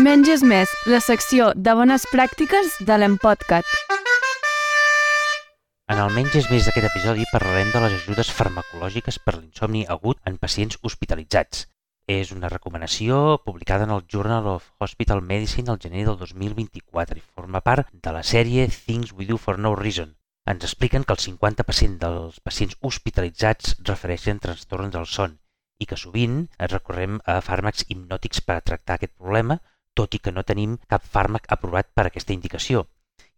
Menys és més, la secció de bones pràctiques de l'Empodcat. En el Menys és més d'aquest episodi parlarem de les ajudes farmacològiques per l'insomni agut en pacients hospitalitzats. És una recomanació publicada en el Journal of Hospital Medicine al gener del 2024 i forma part de la sèrie Things We Do for No Reason. Ens expliquen que el 50% dels pacients hospitalitzats refereixen trastorns del son i que sovint recorrem a fàrmacs hipnòtics per a tractar aquest problema, tot i que no tenim cap fàrmac aprovat per a aquesta indicació.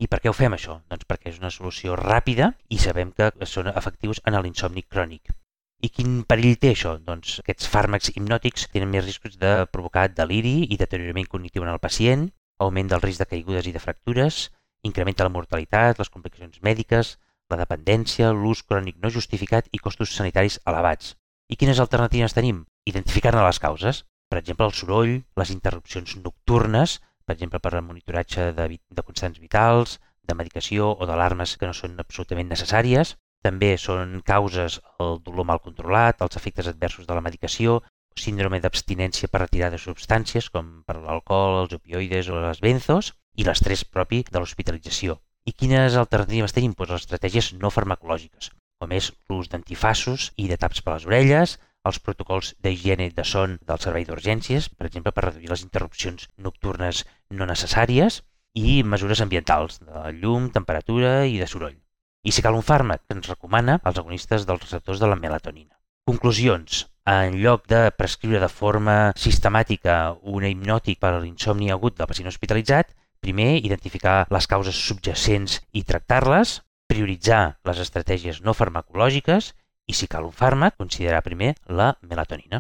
I per què ho fem això? Doncs perquè és una solució ràpida i sabem que són efectius en l'insomni crònic. I quin perill té això? Doncs aquests fàrmacs hipnòtics tenen més riscos de provocar deliri i deteriorament cognitiu en el pacient, augment del risc de caigudes i de fractures, incrementa la mortalitat, les complicacions mèdiques, la dependència, l'ús crònic no justificat i costos sanitaris elevats. I quines alternatives tenim? Identificar-ne les causes. Per exemple, el soroll, les interrupcions nocturnes, per exemple per al monitoratge de constants vitals, de medicació o d'alarmes que no són absolutament necessàries. També són causes el dolor mal controlat, els efectes adversos de la medicació, síndrome d'abstinència per retirar de substàncies com per l'alcohol, els opioides o les benzos, i l'estrès propi de l'hospitalització. I quines alternatives tenim? Doncs les estratègies no farmacològiques, com és l'ús d'antifaços i de taps per les orelles, els protocols d'higiene de son del servei d'urgències, per exemple per reduir les interrupcions nocturnes no necessàries, i mesures ambientals, de llum, temperatura i de soroll. I si cal un fàrmac, ens recomana els agonistes dels receptors de la melatonina. Conclusions. En lloc de prescriure de forma sistemàtica un hipnòtic per a l'insomni agut del pacient hospitalitzat, primer, identificar les causes subjacents i tractar-les, prioritzar les estratègies no farmacològiques i, si cal un fàrmac, considerar primer la melatonina.